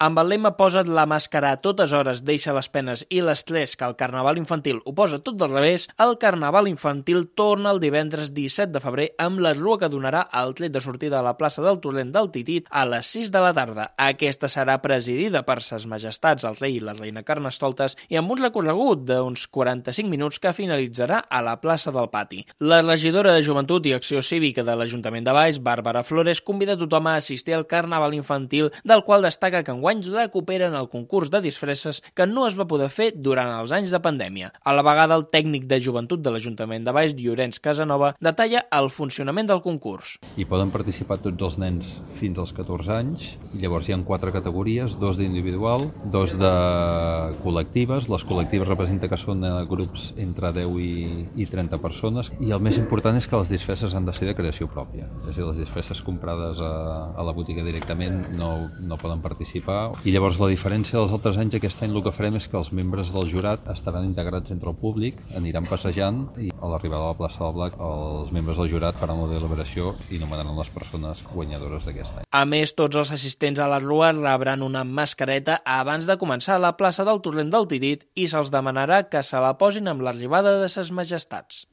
Amb el lema "Posa't la màscara a totes hores, deixa les penes i l'estrès que el Carnaval infantil ho posa tot del revés", el Carnaval infantil torna el divendres 17 de febrer amb la rua que donarà el tret de sortida a la plaça del Torrent del Titit a les 6 de la tarda. Aquesta serà presidida per Ses Majestats el rei i la reina Carnestoltes i amb un recorregut d'uns 45 minuts que finalitzarà a la plaça del Pati. La regidora de Joventut i Acció Cívica de l'Ajuntament de Valls, Bàrbara Flores, convida tothom a assistir al Carnaval infantil, del qual destaca que enguany recuperen el concurs de disfresses que no es va poder fer durant els anys de pandèmia. A la vegada, el tècnic de Joventut de l'Ajuntament de Valls, Llorenç Casanova, detalla el funcionament del concurs. Hi poden participar tots els nens fins als 14 anys, llavors hi ha 4 categories, 2 d'individual, 2 de col·lectives. Les col·lectives representa que són grups entre 10 i 30 persones, i el més important és que les disfresses han de ser de creació pròpia. És a dir, les disfresses comprades a la botiga directament no poden participar. I llavors la diferència dels altres anys, aquest any el que farem és que els membres del jurat estaran integrats entre el públic, aniran passejant i a l'arribada a la plaça del Blac els membres del jurat faran la deliberació i nomenaran les persones guanyadores d'aquest any. A més, tots els assistents a la rua rebran una mascareta abans de començar a la plaça del Torrent del Titit i se'ls demanarà que se la posin amb l'arribada de Ses Majestats.